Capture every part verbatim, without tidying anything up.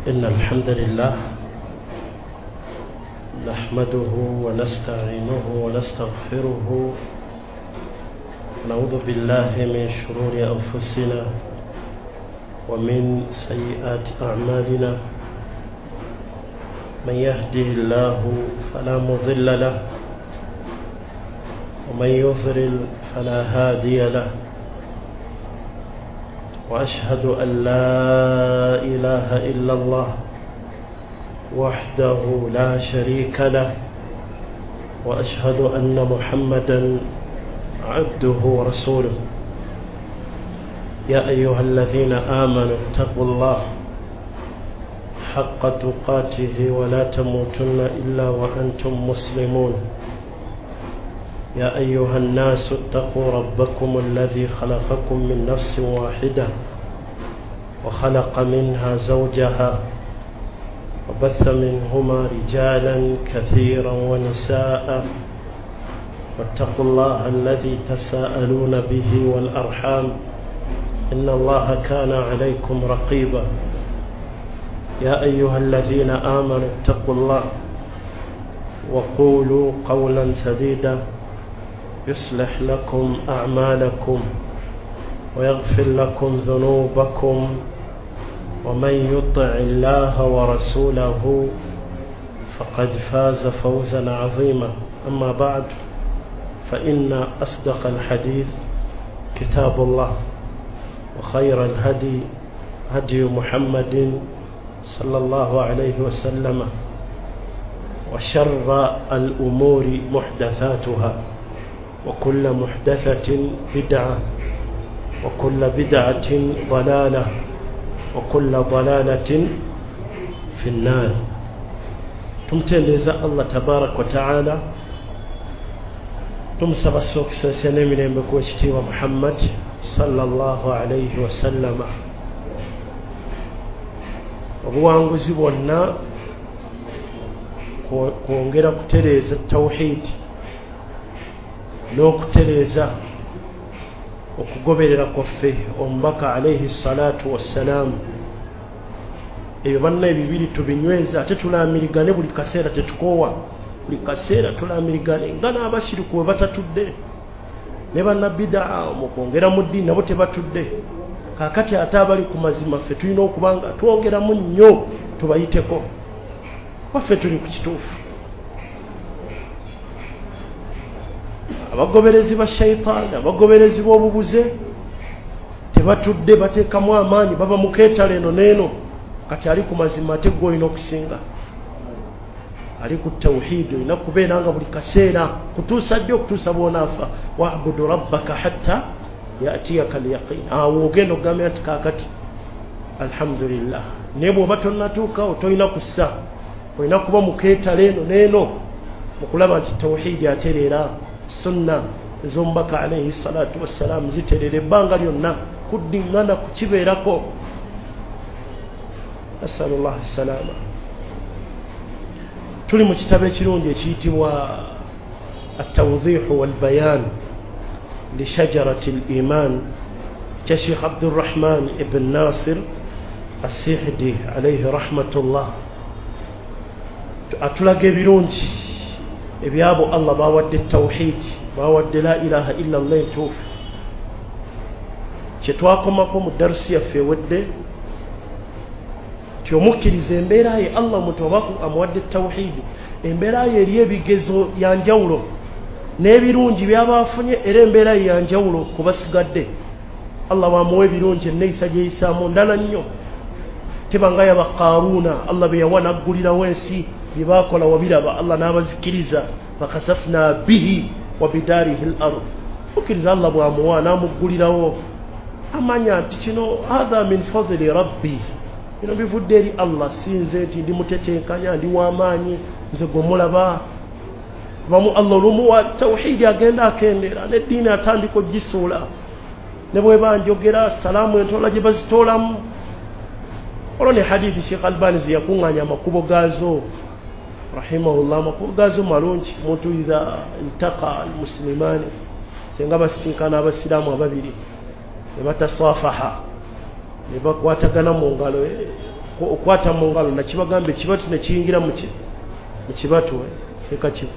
إن الحمد لله نحمده ونستعينه ونستغفره ونعوذ بالله من شرور أنفسنا ومن سيئات أعمالنا من يهده الله فلا مضل له ومن يضلل فلا هادي له وأشهد أن لا إله إلا الله وحده لا شريك له وأشهد أن محمدا عبده ورسوله يا أيها الذين آمنوا اتقوا الله حق تقاته ولا تموتن إلا وأنتم مسلمون يا أيها الناس اتقوا ربكم الذي خلقكم من نفس واحدة وخلق منها زوجها وبث منهما رجالا كثيرا ونساء واتقوا الله الذي تساءلون به والأرحام إن الله كان عليكم رقيبا يا أيها الذين آمنوا اتقوا الله وقولوا قولا سديدا يصلح لكم أعمالكم ويغفر لكم ذنوبكم ومن يطع الله ورسوله فقد فاز فوزا عظيما أما بعد فإن أصدق الحديث كتاب الله وخير الهدي هدي محمد صلى الله عليه وسلم وشر الأمور محدثاتها وكل محدثة بدعة وكل بدعة ضلالة وكل ضلالة في النار. Tumtendereza Allah tabarak wa taala, tumusaba okusaasira n'emirembe ku ekitiibwa Muhammad sallallahu alayhi wasallama. Obuwanguzi bwonna kwongera kutereeza tawhid n'okutereeza okugoberera kwaffe omubaka alayhi salatu wassalaamu. Ebyo banna ebibiri tubinyweza, ate tulaamirigane buli kaseera, tetukoowa buli kaseera tulaamirigane nga n'abashiriku bwe batatudde ne bannabidaa mu kwongera mu ddiini nabo tebatudde. Kaakati ate abali ku mazima ffe tulina okuba nga twongeramu nnyo tubayiteko, waffe tuli ku kituufu. Abagoberezi ba shaitaani, abagoberezi b'obubuze tebatudde, bateekamu amaanyi, baba mu keetalo eno n'eno. Kati ali ku mazima ate gwe olina okusinga, ali ku tawhidi olina kubeera nga buli kaseera kutuusa ddi? Okutuusa bw'onaafa. Wabudu rabbaka hatta yatiyaka alyaqin. Awo ogenda okugambira nti kaakati alhamdulillah. Naye bw'oba tonnatuukawo tolina kussa, olina kuba mu keetalo eno n'eno mu kulaba nti tawhidi atereera, sunna ez'omubaka alayhi salatu wassalaamu ziterera ebbanga lyonna, kuddiŋŋana kukibeerako. Asalullah salama. Tuli mu kitabo ekirungi ekiyitibwa At-Tawdihu wal-Bayan li Shajarati al-Iman kya Sheikh Abdurrahman ibn Nasir As-Sihdi alayhi rahmatullah. Atulaga ebirungi ebyabo Allah bawadde tawhid, bawadde la ilaha illa Allah entuufu. Kye twakomako mu darusi yaffe ewedde nti omukkiriza embeera ye Allah omuntu oba amuwadde tawhidi, embeera ye eri ebigezo ya njawulo n'ebirungi byaba afunye, era embeera ye ya njawulo ku basigadde. Allah bwamuwa ebirungi enneeyisa gyeyisaamu ndala nnyo, teba nga yaba Qaaruuna Allah be yawa n'aggulirawo ensi, bye baakola wabiraba, Allah n'abazikiriza, fakasafna bihi wa bidaarihi al-ard. Okkiriza Allah bw'amuwa n'amuggulirawo, amanya nti kino hadha min fadli rabbi, bino bivudde eri Allah, si nze nti ndi mutetenkanya, ndi w'amaanyi, nze gwe mulaba. Bamu Allah olumuwa tawhidi agenda akendeera n'eddiini atandika ogisuula, ne bweba njogera salaamu entola gye bazitoolamu. Olwo ne hadithi Sheikh Albani ze yakuŋŋaanya amakubo gaazo rahimahullah, amakubo gaazo malungi. Omuntu idha iltaqa almuslimaani, singa basisinkana abasiraamu ababiri ne batasafaha, ne bakwatagana mu ngalo, Okwata mu ngalo nakibagamba ekibatu ne kiyingira mu kibatu eka kibu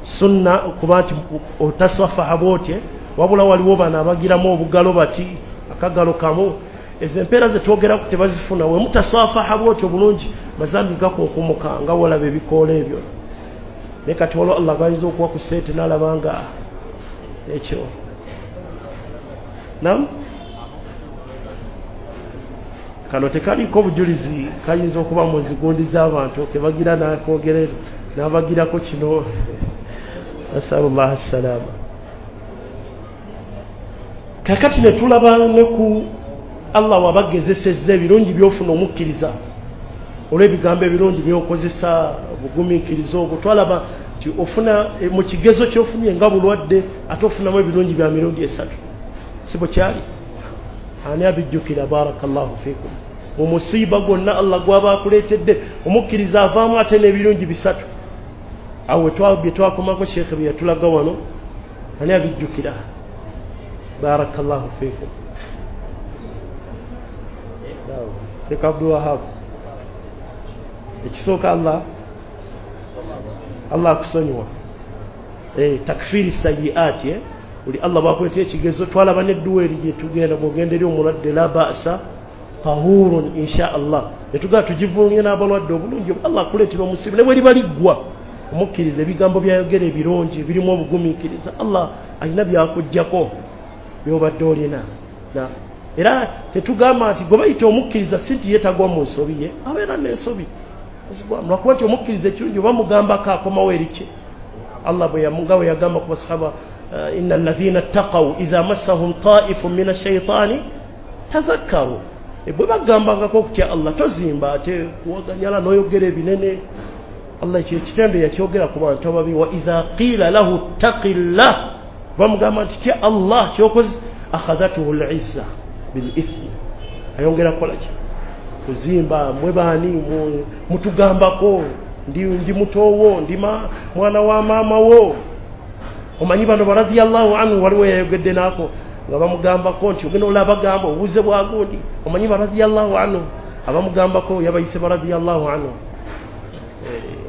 sunna okuba nti otasafaha bwotye, wabula waliwo bano abagiramu obugalo bati akagalo kamu. Ezo empeera ze twogeraku tebazifuna. We mutasafaha bwotyo bulungi mazambi gakunkumuka nga walaba ebikoola ebyo. Naye kati waliwo Allah gayinza okuwa ku ssente n'alaba nga ekyo nam kano tekaliko obujulizi, kayinza okuba mu zigundi z'abantu kebagira n'akogerera n'abagirako kino. Nasalullah salama. Kakati ne tulaba ne ku Allah wabagezesezza ebirungi by'ofuna omukkiriza olw'ebigambo ebirungi by'okozesa, obugumiikiriza obwo. Twalaba nti ofuna mu kigezo ky'ofunye nga bulwadde ate ofunamu ebirungi bya mirundi esatu, si bwe kyali? Ani abijjukira? Barakallahu fikum. Mu musiiba gwonna Allah gw'aba akuleetedde omukkiriza avaamu ate n'ebirungi bisatu. Awo bye twakomako Sheikh bye yatulaga wano, ani abijjukira? Barakallahu fikum. Sheikh Abdul Wahab, ekisooka Allah Allah akusonyiwa, eh, takfiri sayiati eh? Buli Allah bw'akuleetera ekigezo twalaba n'edduwa eri gye tugenda bw'ogenda eri omulwadde la ba'sa tahurun insha Allah, ne tugenda tugivunye n'abalwadde obulungi. Allah akuleetera omusiiba ne bwe liba liggwa omukkiriza ebigambo by'ayogera ebirungi ebirimu obugumiikiriza, Allah alina byakuggyako by'obadde olina. Era tetugamba nti gwe bayita omukkiriza si nti yeetagwa mu nsobi ye, abeera n'ensobi lwakuba nti omukkiriza ekirungi oba mugambako akomawo eri kye. Allah bwe nga bwe yagamba ku basahaba, inna alladhina ttaqaw idha massahum ta'ifun min ash-shaytani tadhakkaru. Bwe bagambangako okutya Allah tozimba ate kuwaganyala n'oyogera ebinene. Allah ekyo ekitendo yakyogera ku bantu ababi, wa idha qila lahu ttaqillah, bamugamba nti tya Allah kyokoze, akhadhatuhu al-izza bil-ithmi, ayongera kukola ki? Kuzimba. Mwe baani mutugambako ndi, ndi mutowo, ndi mwana wa maama wo. Omanyi bano baradiyallahu anhu waliwo yayogedde naako nga bamugambako nti ogenda olaba gamba obuze bwa gundi. Omanyi baradiyallahu anhu abamugambako yabayise baradiyallahu anhu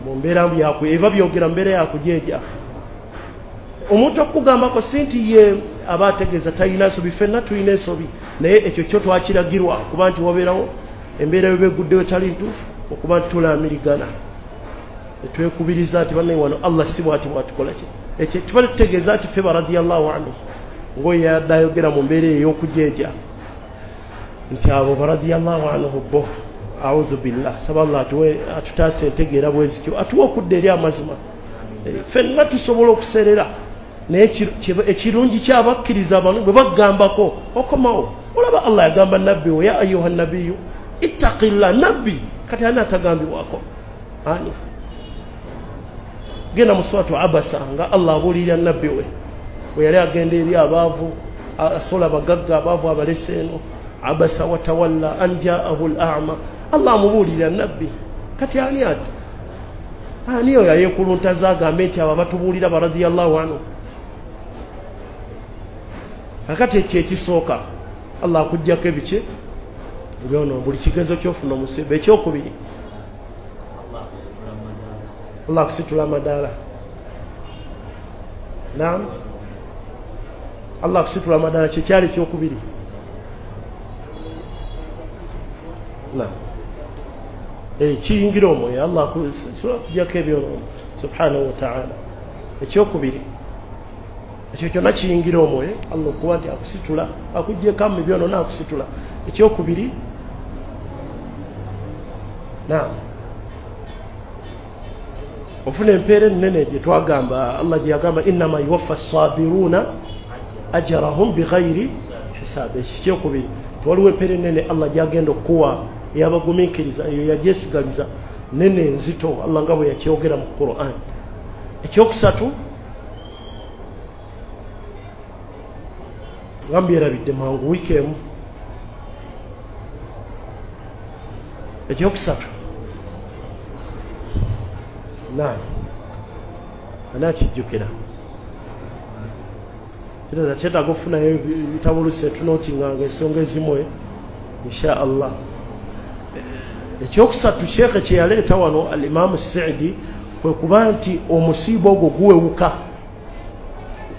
mu mbeera yakwe eba byogera mbeera yakujeeja. Omuntu okugambako si nti ye aba ategeeza talina nsobi, ffenna tulina ensobi, naye ekyo kyo twakiragirwa kuba nti wabeerawo embeera yo beguddewo etali ntuufu okuba nti tulaamirigana etwekubiriza nti bannaye wano Allah si bw'ati bw'atukola ki. Ekyo tuba tutegeeza nti ffe baradiyallahu anhu ng'oyo yadde ayogera mu mbeera ey'okujeeja nti abo baradiyallahu anhu bo audhu billah. Saba Allah atuwe atutaase entegeera bwe zityo, atuwe okudda eri amazima. Ffenna tusobola okuseerera, naye ekirungi ky'abakkiriza bano bwe bagambako okomawo. Olaba Allah yagamba nabbi we, ya ayuha nabiyu ittaqillah. Nabbi kati ani atagambibwako? Ani? Genda mu suratu Abasa nga Allah abuulirira nabbi we bwe yali agenda eri abaavu, asola abagagga abaavu abalese eno, abasa watawalla an jaahu al-a'ma. Allah amubuulirira nabbi. Kati ani ati ani oyo ayeekuluntaza agambe nti abo abatubuulira baradiyallahu anhu? Kakati ekyo ekisooka Allah akuggyako ebiki ebyono buli kigezo ky'ofuna omusiiba. Ekyokubiri Allah akusitula amadaala. Naam, Allah akusitula amadaala kyekyali ekyokubiri. Naam, kiyingira omwoyo Allah akuggyako ebyono subhanahu wa ta'ala. Ekyokubiri ekyo kyonna kiyingira omwoyo Allah okuba nti akusitula, akuggyeko mu byono n'akusitula. Ekyokubiri, naam, ofuna empeera ennene gye twagamba Allah gye yagamba innama yuwaffa ssabiruna ajrahum bighairi hisab. Ekyo kyokubiri, waliwo empeera ennene Allah gy'agenda okuwa eyabagumiikiriza, eyo yagyesigaliza nene nzito Allah nga bwe yakyogera mu Qur'an. Ekyokusatu nga mbyerabidde mangu wiiki emu. Ekyokusatu, naam, ani akijjukira? Kitegeeza kyetaaga okufunayo ebitabo oluusi etunootinganga ensonga ezimu insha Allah. Ekyokusatu sheekhe kye yaleeta wano Alimamu Saidi kwe kuba nti omusiiba ogwo guwewuka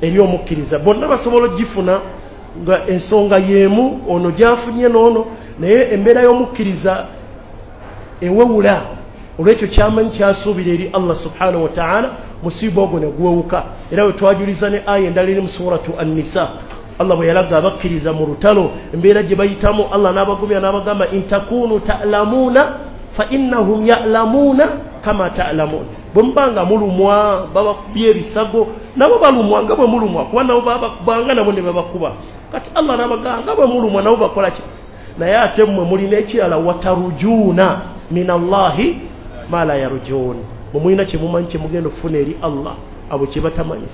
eri omukkiriza. Bonna basobola ogifuna nga ensonga y'emu, ono gy'afunye n'ono, naye embeera y'omukkiriza ewewula olw'ekyo kyamanyi kyasuubira eri Allah subhanahu wa ta'ala, musiiba ogwo ne guwewuka. Era we twajuliza ne aya endala eri mu suratu An-Nisa, Allah bwe yalaga abakkiriza mu lutalo embeera gye bayitamu, Allah n'abagumya n'abagamba intakunu ta'lamuuna fa innahum ya'lamuuna kama ta'lamuun. Bwe muba nga mulumwa babakubye ebisago, nabo balumwa nga bwe mulumwa, kuba nabo babakubanga nabo ne babakuba. Kati Allah n'abagamba nga bwe mulumwa nabo bakola ki? Naye ate mmwe mulina ekirala, watarujuuna min Allahi ma la yarjuun, mwe mulina kye mumanyi kye mugenda okufuna eri Allah, abo kye batamanyi,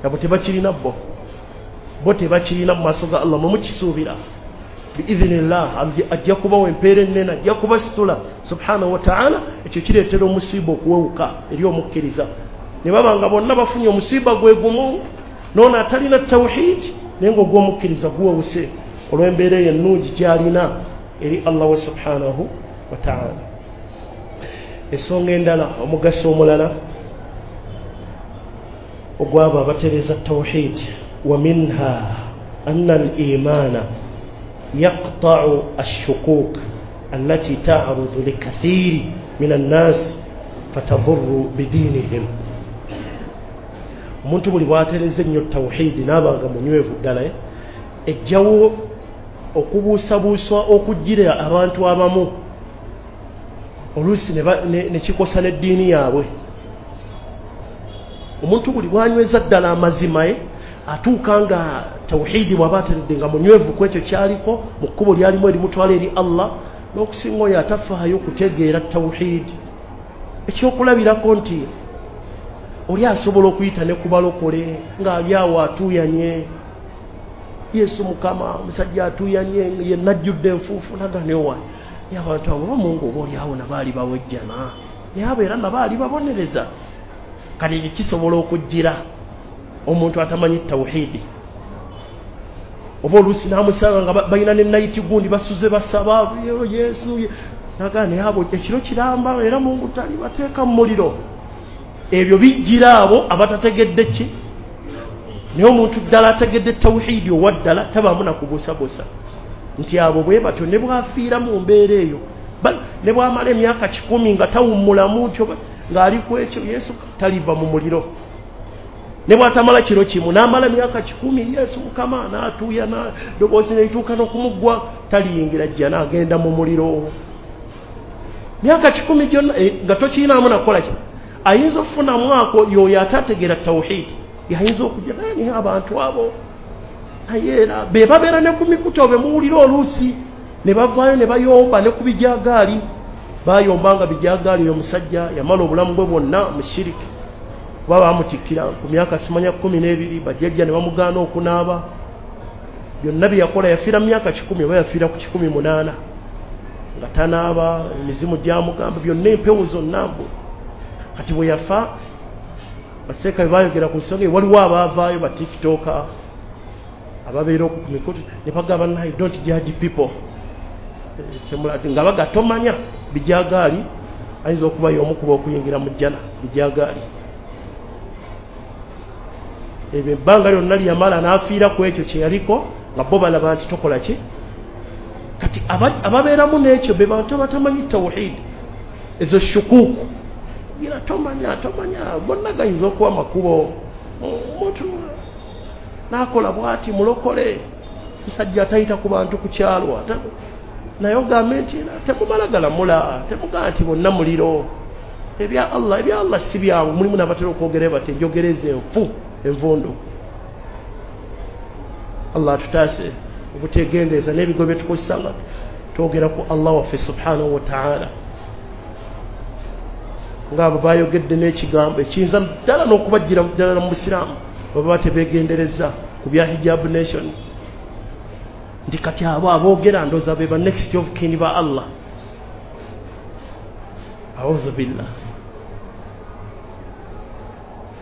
abo tebakirina bo bo tebakirina mu maaso ga Allah, mwe mukisuubira biidhinillah, ajja kubawa empeera ennene, ajja kubasitula subhanahu wa ta'ala. Ekyo kireetera omusiiba okuwewuka eri omukkiriza, ne baba nga bonna bafunye omusiiba gwe gumu, n'ono atalina tawhid, naye ng'ogw'omukkiriza guwewuse olw'embeera eyo ennungi gy'alina eri Allah we subhanahu wa ta'ala. Ensonga endala, omugaso omulala ogw'abo abatereeza tawhid, wa minha anna al-imaana yaqta'u ash-shukuk allati ta'rudu likathiri min an-nas fatadurru bidinihim. Omuntu buli bw'atereeza ennyo tawhidi n'aba nga munywevu ddala, ejjawo okubuusabuusa okujjira abantu abamu oluusi ne kikosa n'eddiini yaabwe. Omuntu buli bw'anyweza ddala amazima ye atuuka nga tawhidi bw'aba ateredde nga munywevu ku ekyo kyaliko mu kkubo lyalimu erimutwala eri Allah, n'okusinga oyo atafaayo okutegeera tawhidi. Ekyokulabirako nti oli asobola okuyita ne ku balokole ng'ali awo atuuyanye, Yesu Mukama, omusajja atuuyanye yenna ajjudde enfuufu, nagane owa naye abantu abo bamungu oba oli awo nabaali bawejjana, naye abo era nabaali babonereza. Kati ekyo kisobola okujjira omuntu atamanyi tawhidi, oba oluusi n'amusanga nga balina ne nayiti gundi basuze basaba Yesu, nagane abo ekiro kiramba era Mungu tali bateeka mu muliro. Ebyo bijjira abo abatategedde ki. Naye omuntu ddala ategedde tawhidi owa ddala tabaamu na kubuusabuusa nti abo bwe batyo ne bw'afiira mu mbeera eyo, ne bw'amala emyaka kikumi nga tawummulamu ntyo ng'ali ku ekyo, Yesu taliva mu muliro. Ne bw'atamala kiro kimu n'amala myaka kikumi, Yesu Mukama n'atuuya ddoboozi ne lituuka n'okumuggwa, taliyingira jjana, agenda mu muliro. Myaka kikumi gyonna nga tokirinaamu nakukola ki. Ayinza okufunamu ako y'oyo atategeera tawhidi, yayinza okujja naye abantu abo naye era be babeera ne ku mikutu be muwulira oluusi ne bavaayo ne bayomba ne ku bijagaali. Bayomba nga bijagaali oyo omusajja yamala obulamu bwe bwonna mu shiriki, kuba baamutikkira ku myaka simanya kkumi n'ebiri, bajjajja ne bamugaana okunaaba, byonna bye yakola yafiira mu myaka kikumi oba yafiira ku kikumi munaana nga tanaaba, emizimu gyamugamba byonna empewo zonna mbu. Kati bwe yafa baseeka bwe baayogera ku nsonga eyo, waliwo abaavaayo ba tiktoka ababeera ku mikutu ne bagamba naye don't judge people, nga baga tomanya bijagaali ayinza okuba y'omu kuba okuyingira mu jjana bijagaali. Ebyo ebbanga lyonna lyamala n'afiira ku ekyo kye yaliko nga bo balaba nti tokola ki. Kati ababeeramu n'ekyo be bantu abatamanyi tawhidi, ezo shukuku gira tomanya tomanya bonna gayinza okuba makubo, omuntu n'akola bw'ati mulokole, musajja atayita ku bantu ku kyalo, naye ogambe nti temumala galamula, temugamba nti bonna muliro. Ebya Allah ebya Allah si byangu, mulimu n'abatera okwogera bati enjogereza enfu envundu. Allah atutaase obutegendeeza n'ebigo bye tukozesa nga twogera ku Allah waffe subhanahu wa ta'ala. Ng'abo bayogedde n'ekigambo ekiyinza ddala n'okubajjira ddala mu busiraamu baba tebeegendereza ku bya hijab nation, nti kati abo aboogera ndooza be ba next of kin ba Allah. Audhu billah,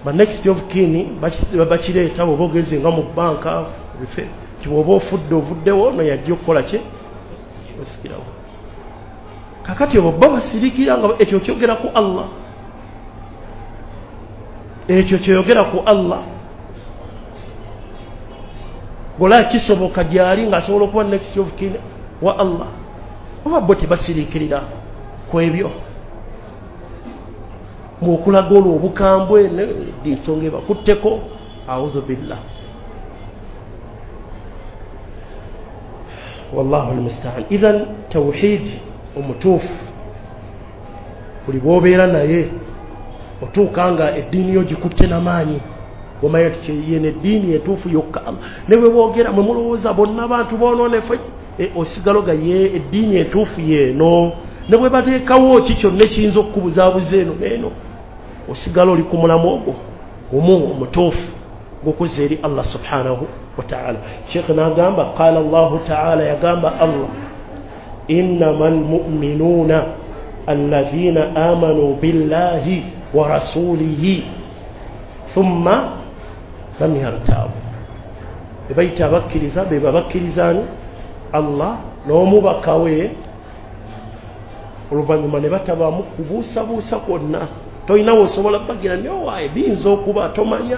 ba next of kin bakireeta bw'oba ogenze nga mu banka bife nti bw'oba ofudde ovuddewo ono yajja okukola ki osikirawo. Kakati obo bo basirikira nga ekyo kyogera ku Allah, ekyo kyeyogera ku Allah gola kisoboka gyali ng'asobola okuba next of kin wa Allah. Oba bo tebasirikirira ku ebyo ng'okulaga olwo obukambwe ensonga ebakutteko. Audhu billah, wallahu almustaan. Idhan tawhid omutuufu buli bw'obeera naye otuuka nga eddiini yo gikutte n'amaanyi, omanya nti yeno eddiini entuufu yokka. Ne bwe boogera mwe mulowooza bonna bantu boonoonefu, osigala ga ye eddiini entuufu yeeno. Ne bwe bateekawo ki kyonna ekiyinza okukubuzaabuza eno n'eno, osigala oli ku mulamu ogwo gumu omutuufu gw'okuzza eri Allah subhanahu wa ta'ala. Sheikh n'agamba qala Allahu ta'ala, yagamba Allah innama almu'minuuna alladhina amanu billahi wa rasulihi thumma lam yartabu. Bebayita abakkiriza be babakkirizaani Allah n'omubaka we, oluvannyuma ne batabaamu kubuusabuusa kwonna. Tolinawo osobola bagira nyowaye biyinza okuba tomanya,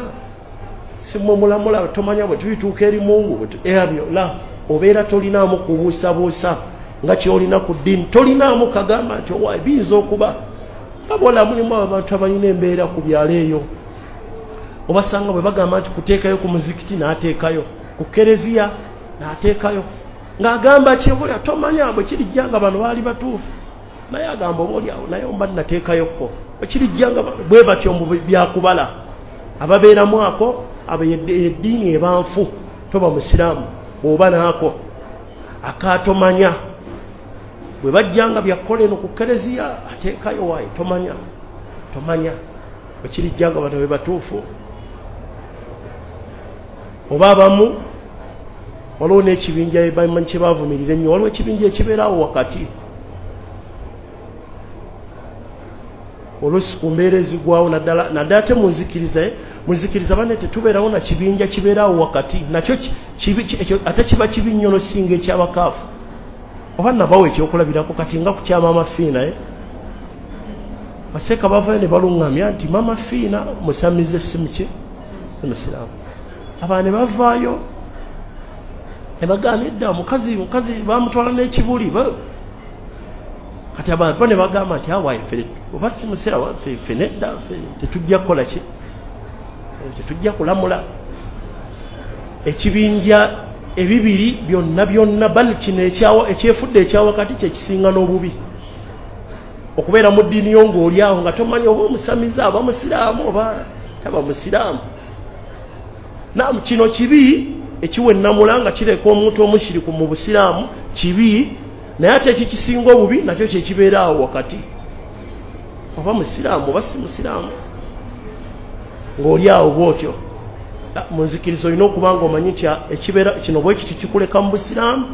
si mmwe mulamula tomanya bwe tulituuka eri Mungu ebyo la, obeera tolinaamu kubuusabuusa nga kyolina ku ddiini. Tolinaamu kagamba nti owaye biyinza okuba. Abola mulimu abantu abalina embeera ku byalo eyo, obasanga bwe bagamba nti kuteekayo ku muzikiti n'ateekayo, ku kereziya n'ateekayo, ng'agamba kyebolya tomanya bwe kirijja nga bano baali batuufu, naye agamba oba oliawo naye omba nnateekayokko bwe kirijja nga bwe batyo mu byakubala. Ababeeramu ako abo eddiini eba nfu, toba musiraamu bw'oba naako akaatomanya. Bwe bajjanga byakukola eno ku kereziya ateekayo waayi tomanya, tomanya bwe kirijja nga bano be batuufu. Oba abamu waliwo n'ekibinja bamanyi kye baavumirira ennyo, waliwo ekibinja ekibeerawo wakati oluusi ku mbeera ezigwawo, naddala naddala ate mu nzikiriza mu nzikiriza banne tetubeerawo na kibinja kibeerawo wakati, nakyo kibi ekyo ate kiba kibi nnyo n'osinga ekyabakaafu. Oba nabawo ekyokulabirako kati nga ku kya Maama Fiina, eh? Baseeka bavayo ne baluŋŋamya nti Maama Fiina musamize si muki si musiraamu. Abaana ne bavaayo ne bagamba edda mukazi mukazi bamutwala n'ekibuli. Kati abantu bo ne bagamba nti awaye ffe oba si musiraamu ffe nedda ffe tetujja kukola ki, tetujja kulamula. Ekibinja ebibiri byonna byonna bali kino ekyefudde ekyawakati kyekisinga n'obubi. Okubeera mu ddiini yo ng'oli awo nga tomanyi oba omusamize aba musiraamu oba taba musiraamu. Naam, kino kibi ekiwa ennamula nga kireka omuntu omushiriku mu busiraamu kibi, naye ate ekikisinga obubi nakyo kyekibeera awo wakati, oba musiraamu oba si musiraamu, ng'oli awo bw'otyo. Mu nzikiriza olina okuba nga omanyi nti ekibeera kino bwe kiti kikuleka mu busiraamu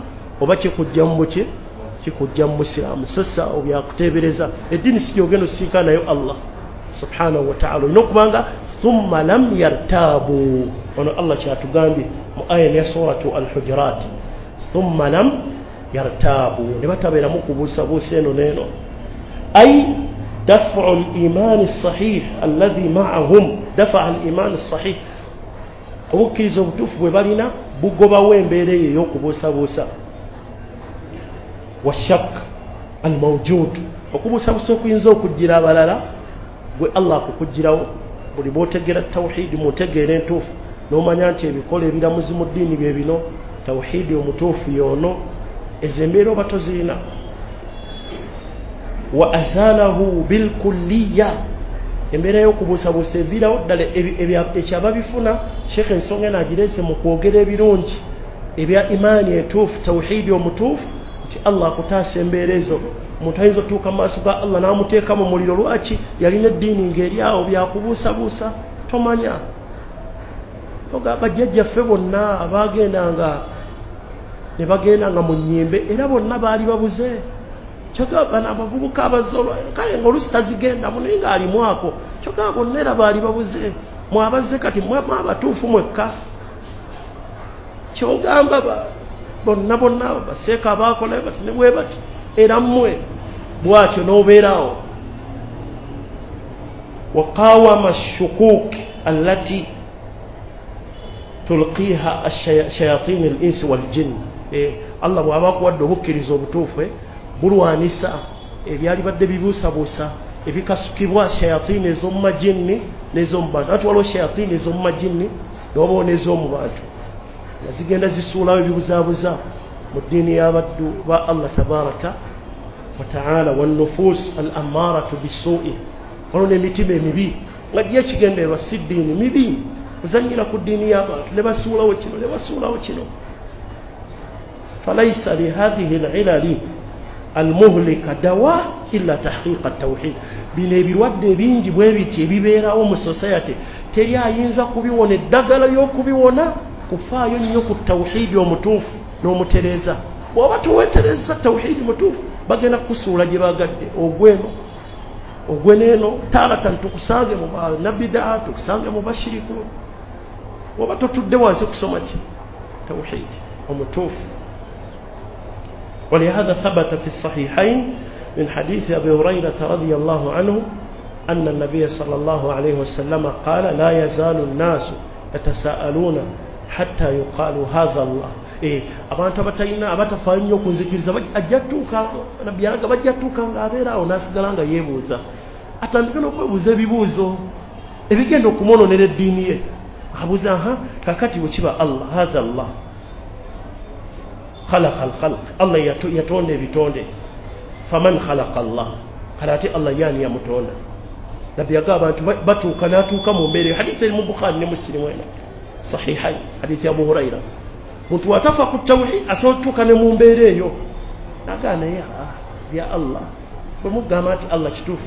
oba kikujja mu buki kikujja mu busiraamu. So si awo byakuteebereza, eddiini si gy'ogenda osisinkana nayo Allah subhanahu wa ta'ala. Olina okuba nga thumma lam yartaabu, ono Allah kyatugambye mu aya ya suratu Al-Hujurat, thumma lam yartaabu, ne batabeeramu kubuusabuusa eno n'eno. Ay dafu al-imaani as-sahih alladhi ma'ahum, dafa al-imaani as-sahih, obukkiriza obutuufu bwe balina bugobawo embeera eyo ey'okubuusabuusa. Washak al-mawjud, okubuusabuusa okuyinza okujjira abalala gwe Allah akukugirawo. Buli bw'otegeera tawhidi mutegeera entuufu n'omanya nti ebikola ebiramuzi mu ddiini bye bino, tawhidi omutuufu y'ono, ezo embeera oba tozirina. Wa azalahu bilkulliya, embeera y'okubuusabuusa eviirawo ddala ekyababifuna. Sheikh ensonga eno agireese mu kwogera ebirungi ebya imaani entuufu, tawhidi omutuufu, nti Allah akutaasa embeera ezo. Omuntu ayinza otuuka mu maaso ga Allah n'amuteeka mu muliro, lwaki? Yalina eddiini ng'eri awo byakubuusabuusa tomanya. Bajjajjaffe bonna abaagendanga ne bagendanga mu nnyimbe era bonna baali babuze. Kyokka bano abavubuka abazze kale ng'oluusi tazigendamu naye ng'alimu ako, kyokka bonna era baali babuze. Mwabazze kati mwe abatuufu mwekka. Kyogamba bonna bonna baseeka abaakola bati ne bwe bati era mmwe. bwatyo n'obeerawo. Waqawama shukuk allati tulqiha ash-shayatin al-insi wal-jinn. Allah bw'aba akuwadde obukkiriza obutuufu bulwanisa ebyali badde bibuusabuusa ebikasukibwa shayatini ez'omu majinni n'ez'omu bantu. Ate waliwo shayatini ez'omu majinni newabawo n'ez'omu bantu nga zigenda zisuulawo ebibuzaabuza mu ddiini y'abaddu ba Allah tabaraka wa taala. Wannufus al ammaratu bisuui, waliwo n'emitima emibi nga gye ekigendererwa si ddiini mibi, kuzannyira ku ddiini y'abantu ne basuulawo kino ne basuulawo kino. Falaisa lihadhihi alilali almuhlika dawa illa tahqiqa tawhid. Bino ebirwadde ebingi bwe biti ebibeerawo mu society teri ayinza kubiwona, eddagala ly'okubiwona kufaayo nnyo ku tawhidi omutuufu n'omutereeza. Bw'oba towetereza tawhidi mutuufu bagenda kukusuula gye bagadde, ogweno ogweneeno taaratan tukusange mu banabidaa, tukusange mu bashiriku. Bw'oba totudde wansi kusoma ki tawhidi omutuufu. ولهذا ثبت في الصحيحين من حديث أبي هريرة رضي الله عنه أن النبي صلى الله عليه وسلم قال لا يزال الناس يتساءلون حتى يقال هذا الله. إيه abantu abatalina abatafaayo nnyo kunzikiriza ajja tuuka nabbi yalaga bajja tuuka ng'abeera awo n'asigala nga yeebuuza, atandike n'okwebuuza ebibuuzo ebigenda okumwononera eddiini ye. Abuuza aha kakati bwe kiba Allah hatha Allah khalaqa al-khalq, Allah yatonda ebitonde, faman khalaqa Allah, kale ate Allah yaani yamutonda. Nabbi yagamba abantu batuuka n'atuuka mu mbeera eyo. Hadithi eri mu Bukhari ne Muslim wena sahihain, hadithi ya Abu Huraira. Muntu watafa ku tawhid asobola okutuuka ne mu mbeera eyo nagaa naye bya Allah bwe mugamba nti Allah kituufu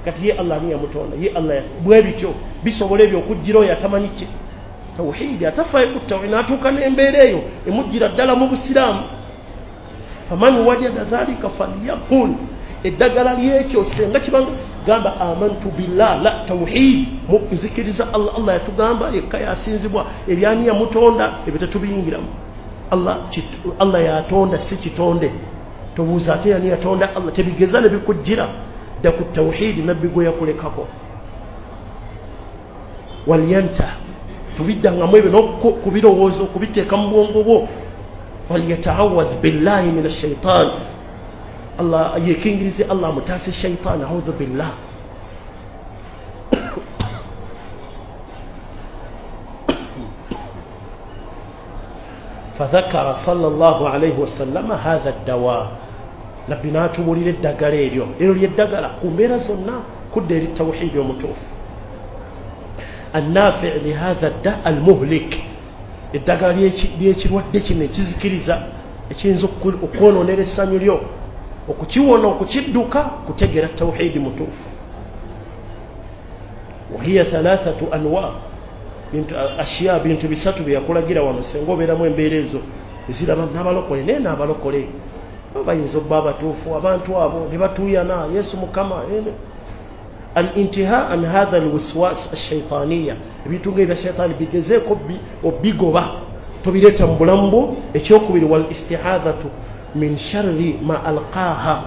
kati ye Allah ani yamutonda, ye Allah bwe bityo bisobola ebyo okujjira oyo atamanyi ki tawhidi, atafaayo ku tawhidi n'atuuka n'embeera eyo emujjira ddala mu busiraamu. Faman wajada dhalika falyaqul, eddagala lyekyo senga kibanga gamba amantu billah la tawhid, nzikiriza Allah. Allah yatugamba yekka yasinzibwa, ebyani yamutonda ebyo tetubiyingiramu. Allah, Allah yatonda si kitonde, tobuuza ate yani yatonda Allah, tebigeza ne bikujjira dda ku tawhidi nabbi gwe yakulekako. Walyanta tubiddangamu ebyo n'okubirowooza okubiteeka mu bwongo bwo. Walyataawadh billahi min ashaitan, Allah yekingirize Allah amutaase shaitaani, audhu billah. Fadhakara sallallahu alayhi wasallama hatha ddawa, nabbi n'atubuulira eddagala eryo, eryo lyeddagala ku mbeera zonna kudda eri tawhidi omutuufu. Annafi lihatha dda almuhlik, eddagala ly'ekirwadde kino ekizikiriza ekiyinza okwonoonera essanyu lyo, okukiwona okukidduka kutegeera tawhidi mutuufu. Wahiya thalathatu anwa, bintu ashiya bintu bisatu bye yakulagira wano senga obeeramu embeera ezo eziraba n'abalokole naye n'abalokole bayinza obba abatuufu abantu abo ne batuuyana Yesu Mukama. Al-intiha an hadha alwiswas ash-shaytaniyya, ebintu ng'ebya shaytaani bigezeeko obigoba tobireeta mu bulamu bwo. Ekyokubiri wal istihadhatu min sharri ma alqaha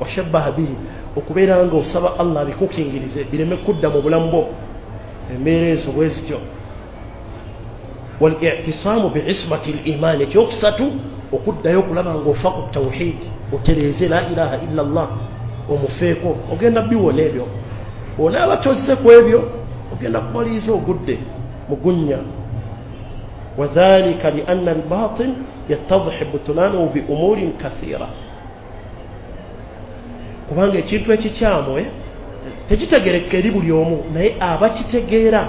wa shabbaha bihi, okubeera nga osaba Allah abikukingirize bireme kudda mu bulamu bwo embeera ezo bwe zityo. Wal i'tisamu bi'ismati al-iman, ekyokusatu okuddayo okulaba ng'ofa ku tawhid, otereeze la ilaha illa Allah omufeeko, ogenda biwona ebyo. Onaaba tozze ku ebyo ogenda kumaliriza ogudde mugunnya. Wadhalika lianna albatil yattadhihu butulanuhu bi umurin kathira, kubanga ekintu ekikyamu tekitegeereka eri buli omu, naye abakitegeera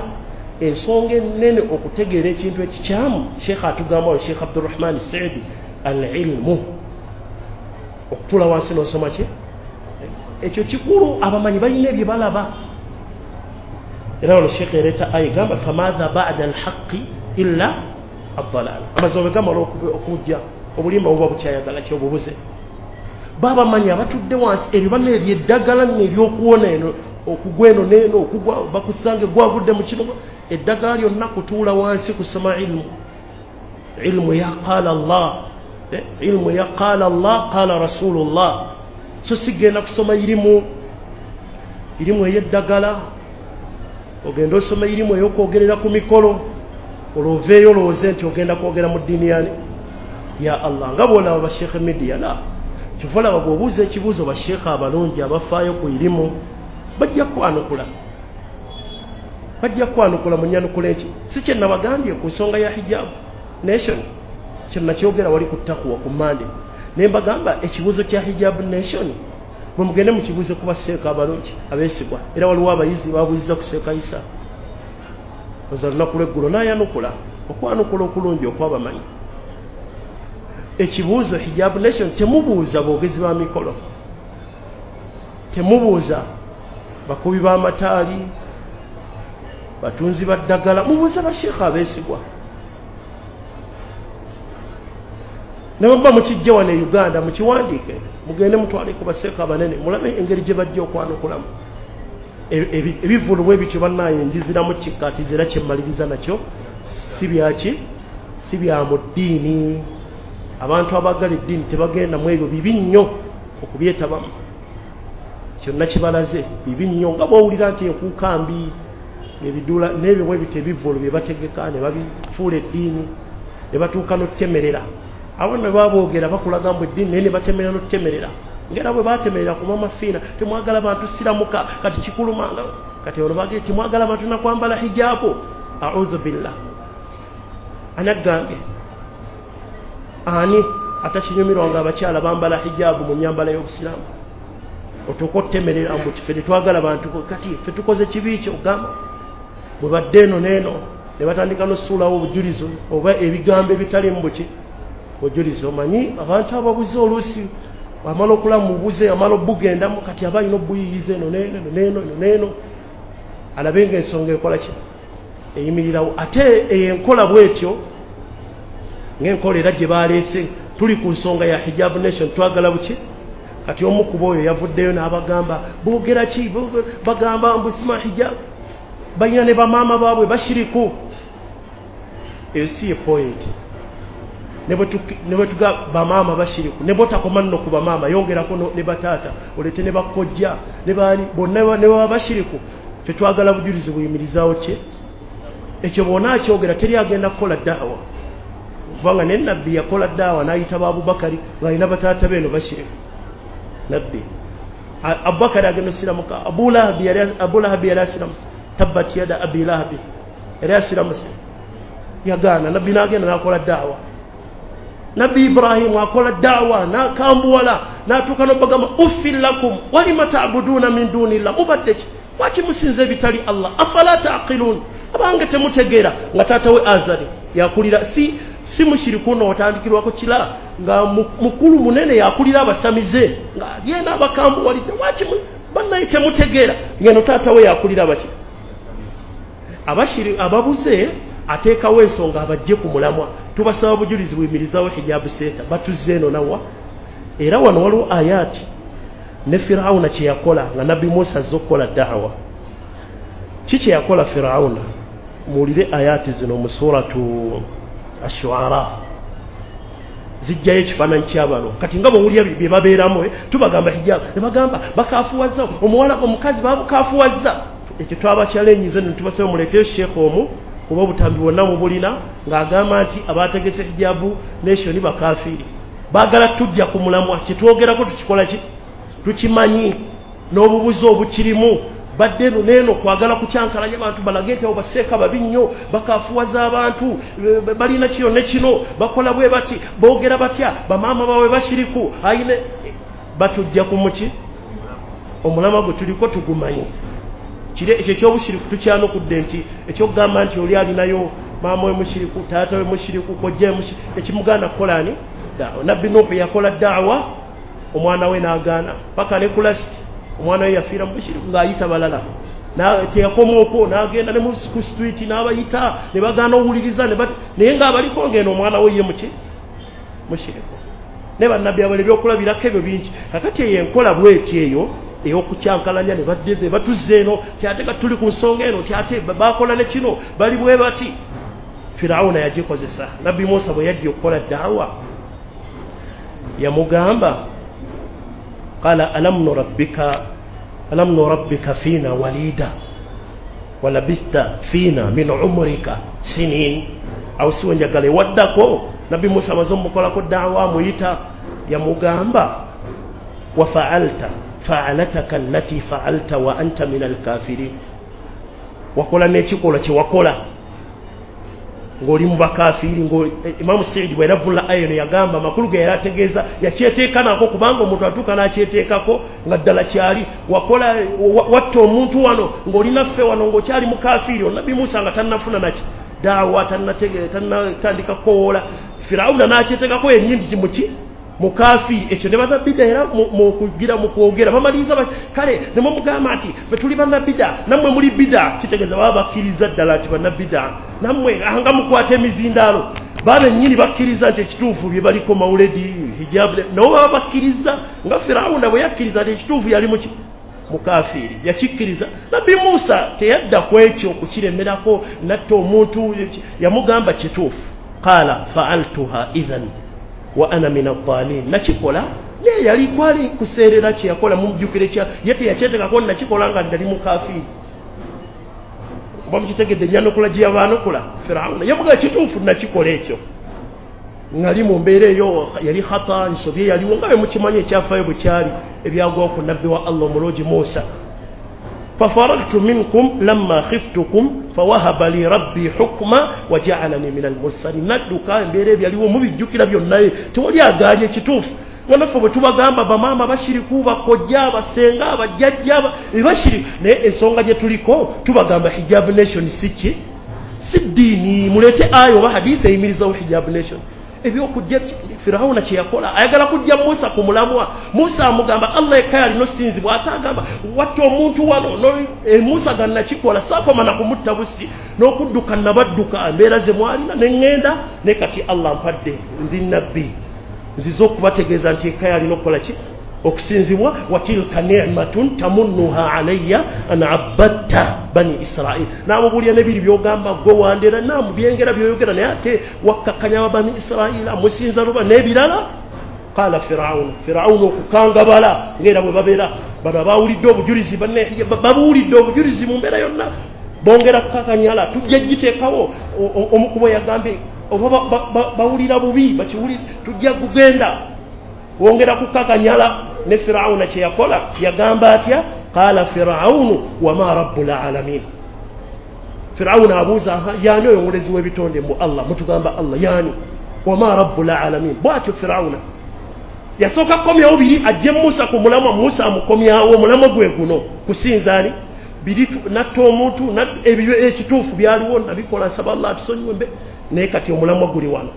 ensonga ennene okutegeera ekintu ekikyamu. Sheikh atugamba Sheikh Abdurrahman Saidi, al-ilmu, okutuula wansi n'osoma ki ekyo kikulu, abamanyi balina ebye balaba. Era wano Sheikh ereeta aya egamba famadha ba'da alhaqi illa ad-dalal, amazima bwe gamala okujja obulimba buba bukyayagala ki obubuze. Babamanyi abatudde wansi ebyo banna ebyeddagala nno ebyokuwona eno okugwa eno n'eno okugwa bakusange gwagudde mu kino, eddagala lyonna kutuula wansi kusoma ilmu. Ilmu ya qala Allah, ilmu ya qala Allah qala rasulullah. So sigenda kusoma irimu irimu ey'eddagala, ogenda osoma irimu ey'okwogerera ku mikolo, olwoveeyo olowooze nti ogenda kwogera mu ddiini yani ya Allah. Nga bw'olaba basheekhe media la kyova olaba bw'obuuza ekibuuzo basheekhe abalungi abafaayo ku irimu bajja kwanukula, bajja kwanukula mu nyanukula eki. Si kye nabagambye ku nsonga ya hijab nation, kye nakyogera wali ku Taqwa ku Mande, ne mbagamba ekibuuzo kya hijab nation bwe mugende mukibuuze ku baseeka abalungi abeesigwa. Era waliwo abayizi babuuziza ku Seeka Isa oza lunaku lweggulo n'ayanukula okwanukula okulungi okwabamanyi. Ekibuuzo hijab nation temubuuza boogezi ba mikolo, temubuuza bakubi b'amataali, batunzi ba ddagala, mubuuze basheekha abeesigwa. Ne bwe muba mukijje wano e Uganda mukiwandiike, mugende mutwale ku baseeka abanene mulabe engeri gye bajja okwanukulamu ebivvulu bwe bityo. Bannaye njiziramu kikkaatiza era kyemmaliriza nakyo si byaki, si bya mu ddiini. Abantu abaagala eddiini tebagenda mu ebyo, bibi nnyo okubyetabamu. Kyonna kibalaze bibi nnyo, nga bw'owulira nti enkuuka mbi ebidula n'ebyo bwe bityo ebivvulu bye bategeka ne babifuula eddiini ne batuuka n'okutemerera. Abo ne baboogera bakulaga mbu eddiini naye ne batemerera n'okutemerera. Ngera bwe batemerera ku Mama Fiina, temwagala bantu siramuka kati kikulumanga, kati olwo bagee temwagala bantu nakwambala hijabu. A'udhu billah. Anagambye ani atakinyumirwa nga abakyala bambala hijabu mu nyambala y'obusiraamu? Otuuka otutemerera mbu ffe tetwagala bantu, kati ffe tukoze kibi ki? Ogamba bwe badde eno n'eno ne batandika n'osuulawo obujulizi oba ebigambo ebitaliimu buki bujulizi. Omanyi abantu ababuze oluusi amala okulamu mubuze amala obugendamu, kati aba alina obuyiyiza eno n'eno eno n'eno eno n'eno alabe ng'ensonga ekola ki eyimirirawo. Ate eyo enkola bw'etyo ng'enkola era gye baleese, tuli ku nsonga ya hijab nation, twagala buki. Kati omu ku bo oyo yavuddeyo n'abagamba boogera ki, bagamba mbu sima hijab, balina ne bamaama baabwe bashiriku. Eyo si ye point. Ne bwe tuga bamaama bashiriku, ne bw'otakoma nno ku bamaama yongerako ne bataata, oleete ne bakojja ne baani bonna ne baba bashiriku. Ffe twagala bujulizi buyimirizaawo ki ekyo. Bw'onaakyogera teri agenda kukola daawa, kubanga ne nabbi yakola daawa n'ayita ba Abubakari ng'alina bataata be eno bashiriku. Nabbi Abubakari agenda osiramuka, Abu Lahabi yali Abu Lahabi yali asiramuse, tabbat yada Abi Lahabi yali asiramuse, yagaana. Nabbi n'agenda n'akola daawa. Nabbi Ibrahimu akola daawa n'akambuwala n'atuuka n'obagamba uffin lakum walima ta'buduuna min dunillah, mubadde ki, lwaki musinza ebitali Allah, afala ta'qilun, abange temutegeera. Nga taata we Azari yakulira si si mushiriku no otandikirwako kila nga mukulu munene yakulira abasamize nga yena abakambuwalidde, lwaki bannaye temutegeera. Ngeno taata we yakulira baki abashiri ababuze, ateekawo ensonga abajje ku mulamwa. Tubasaba bujulizi buyimirizaawo hijabu seta batuzze eno nawa. Era wano waliwo ayati ne Firawuna kye yakola nga Nabbi Musa azze okukola da'wa. Ki kye yakola Firawuna? Muwulire ayati zino mu suratu Ash-Shu'ara, zijjayo ekifaananyi ky'abano. Kati nga bw'owulira bye babeeramu, tubagamba hijabu ne bagamba bakaafuwazza omuwala omukazi babukafuwazza. Ekyo twabakyalenyize ne tubasaba muleeteyo sheekh omu kuba obutambi bwonna mubulina ng'agamba nti abategese hijabu nation bakafiiri, baagala tujja ku mulamwa. Kye twogerako tukikola ki tukimanyi n'obubuzi obukirimu. Badde eno n'eno kwagala kukyankalanya abantu balage nti abo baseeka babi nnyo, bakafuwaza abantu, balina kino ne kino, bakola bwe bati, boogera batya, bamaama baabwe bashiriku ayine. Batujja ku muki omulamwa gwe tuliko tugumanyi. Kire ekyo ekyobushiriku tukyanukudde nti ekyokugamba nti oli alinayo maama we mushiriku, taata we mushiriku, kojja we mushiriku, ekimugaana kukola ani daawa. Nabbi Nuuhu yakola daawa omwana we n'agaana paka ne ku lasiti omwana we yafiira mu bushiriku ng'ayita balala. Teyakoma okwo n'agenda ne ku street n'abayita ne bagaana owuliriza naye ng'abaliko ng'eno omwana we ye muki mushiriku. Ne bannabbi abala ebyokulabirako ebyo bingi. Kakati eyo enkola bw'eti eyo ey'okukyankalanya ne badde batuzze eno kyate ka tuli ku nsonga eno kyate bakola ne kino bali bwe bati. Firawuna yagikozesa. Nabbi Musa bwe yajja okukola daawa yamugamba Qala alam nurabbika alam nurabbika fina walida walabitha fina min umrika sinin. Awo siwe njagala ewaddako Nabbi Musa amaze omukolako daawa amuyita yamugamba wa fa'alta fa'alataka allati fa'alta wa anta min alkafirin, wakola n'ekikolwa kye wakola ng'oli mu bakafiiri. Imamu Saidi bwe yaravula aya eno yagamba amakulu ge yali ategeeza yakyeteeka nako, kubanga omuntu atuuka n'akyeteekako nga ddala kyali wakola watta omuntu wano ng'oli naffe wano ng'okyali mukafiiri. Nabbi Musa nga tannafuna naki daawa, tannatandika kukowoola, Firawuna n'akyeteekako yennyini nti muki mukafiiri. Ekyo ne bannabida era mu kugira mu kwogera bamaliriza kale ne mumugamba nti ffe tuli bannabida nammwe muli bida, kitegeeza baba bakkiriza ddala nti bannabida nammwe nga mukwata emizindaalo. Baba bennyini bakkiriza nti ekituufu bye baliko mawuledi hijabu, nabo baba bakkiriza nga Firawuna bwe yakkiriza nti ekituufu yali muki mukafiiri, yakikkiriza. Nabbi Musa teyadda ku ekyo okukiremerako natta omuntu, yamugamba kituufu. Qaala fa'altuha idhan wa ana min ad-dhalin, nakikola naye yali kwali kuseerera kye yakola mumujjukire kya ye teyakyetekako nakikola nga ndali mukafiiri. Oba mukitegedde enyanukula gye yabaanukula Firawuna yamugamba kituufu nakikola ekyo ngali mu mbeera eyo yali khata, nsobi yaliwo nga bwe mukimanyi ekyafaayo bwe kyali ebyagwawo ku nabbi wa Allah omulungi Musa. Fafaragtu minkum lamma khiftukum fawahaba li rabbi hukma waja'alani min al-mursalin. Nadduka embeera ebyaliwo mubijjukira byonna, tewali agaanye ekituufu. Nga naffe bwe tubagamba bamaama bashiriku, bakojja, basenga, bajjajja bashiriku, naye ensonga gye tuliko tubagamba hijab nation si ki, si ddiini. Muleete aya oba hadithi eyimirizawo hijab nation. Ebyokujja Firawuna kye yakola ayagala kujja Musa ku mulamwa. Musa amugamba Allah yekka yalina osinzibwa, ate agamba watta omuntu wano. E Musa ga nakikola saakoma na kumutta busi n'okudduka nabadduka embeera ze mwalina ne ŋŋenda, ne kati Allah mpadde ndi nabbi nzize okubategeeza nti yekka yalina okukola ki, okusinzibwa. Watilka ni'matun tamunnuha alayya an abadta bani Israil. N'amubuulira n'ebiri by'ogamba gwe wandera naamu byengera by'oyogera, naye ate wakkakkanya bani Israila musinza luba n'ebirala. Qala Firawuna, Firawuna okukangabala ng'era bwe babeera bano abawulidde obujulizi babuwulidde obujulizi mu mbeera yonna bongera kukakanyala tujja giteekawo. Omukubo yagambye oba bawulira bubi bakiwulira tujja kugenda wongera kukakanyala. Ne Firawuna kye yakola yagamba atya? Qala Firawunu wama rabbul alamin. Firawuna abuuza yaani oyo omulezi w'ebitonde mu Allah, mutugamba Allah yaani wama rabbul alamin. Bw'atyo Firawuna yasooka kukomyawo biri ajje Musa ku mulamwa. Musa amukomyawo omulamwa gwe guno kusinza ani biri natta omuntu ebyo ekituufu byaliwo nabikola nsaba Allah atusonyiwe mbe, naye kati omulamwa guli wano.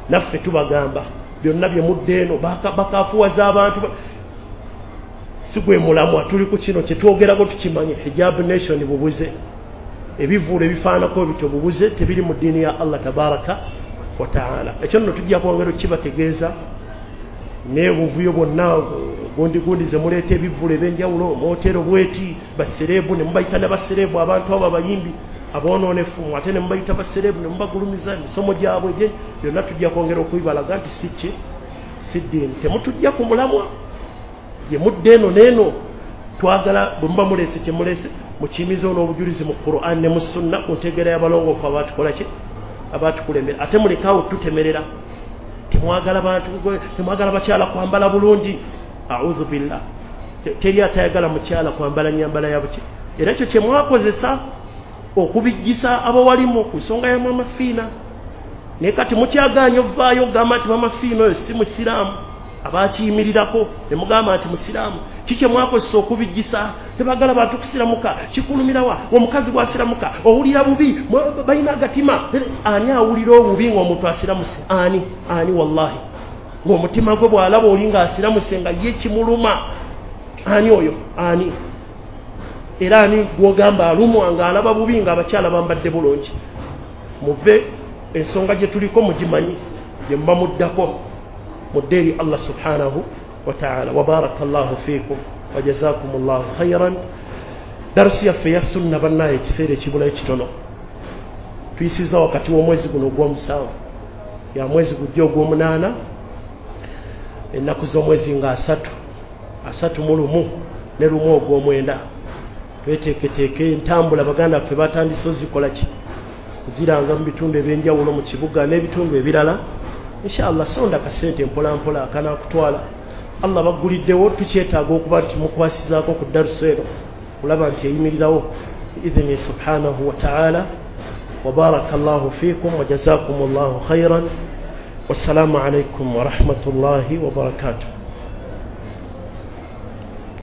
Naffe tubagamba byonna bye mudde eno bakafuwaza abantu si gwe mulamwa, tuli ku kino kye twogerako tukimanye. Hijab nation bubuze, ebivuulo ebifaanako bityo bubuze, tebiri mu ddiini ya Allah tabaraka wa taala. Ekyo nno tujja kwongera okukibategeeza n'obuvuyo bwonna gundi gundi ze muleeta ebivuulo ebyenjawulo mootero bweti basereebu ne mubayita ne basereebu abantu abo abayimbi aboononefu ate ne mubayita basereebu ne mubagulumiza emisomo gyabwe byonna tujja kwongera okubibalaga nti si ki si ddiini. Temutujja ku mulamwa gye mudde eno n'eno. Twagala bwe muba muleese kye muleese mukiyimizeewo n'obujulizi mu Qur'an ne mu sunna ku ntegeera y'abalongoofu abaatukola ki abaatukulembera. Ate mulekaawo tutemerera, temwagala bantu, temwagala bakyala kwambala bulungi. A'udhu billah, teri atayagala mukyala kwambala nyambala ya buki. Era ekyo kye mwakozesa okubijjisa abawalimu ku nsonga ya Mama Fiina. Naye kati mukyagaanye ovaayo ogamba nti Mama Fiina oyo si musiraamu, abakiyimirirako ne mugamba nti musiraamu. Kiki mwakozesa okubijjisa? Tebagala bantu kusiramuka, kikulumirawa omukazi bw'asiramuka owulira bubi, balina agatima. Ani awulira obubi ng'omuntu asiramuse? Ani ani wallahi ng'omutima gwe bw'alaba oli ng'asiramuse nga ye kimuluma, ani oyo? Ani era ani gw'ogamba alumwa ng'alaba bubi ng'abakyala bambadde bulungi? Muve ensonga gye tuliko mugimanyi, gye muba muddako mudde eri Allah subhanahu wa ta'ala. Wa barakallahu fiikum wa jazakumullahu khairan. Darusi yaffe ya sunna bannaye ekiseera ekibulayo kitono, tuyisizza wakati w'omwezi guno ogw'omusanvu ya mwezi gujja ogw'omunaana, ennaku z'omwezi nga asatu. asatu mu lumu ne lumu ogw'omwenda. Tweteeketeeke entambula, baganda baffe batandise ozikola ki, ziranga mu bitundu ebyenjawulo mu kibuga n'ebitundu ebirala. Inshallah sonda kasente mpola mpola akanakutwala. Allah baguliddewo, tukyetaaga okuba nti mukwasizaako ku darusa eno kulaba nti eyimirirawo biidhini subhanahu wa ta'ala. Wa barakallahu fikum wa jazakumullahu khairan. Wassalamu alaikum wa rahmatullahi wa barakatuh.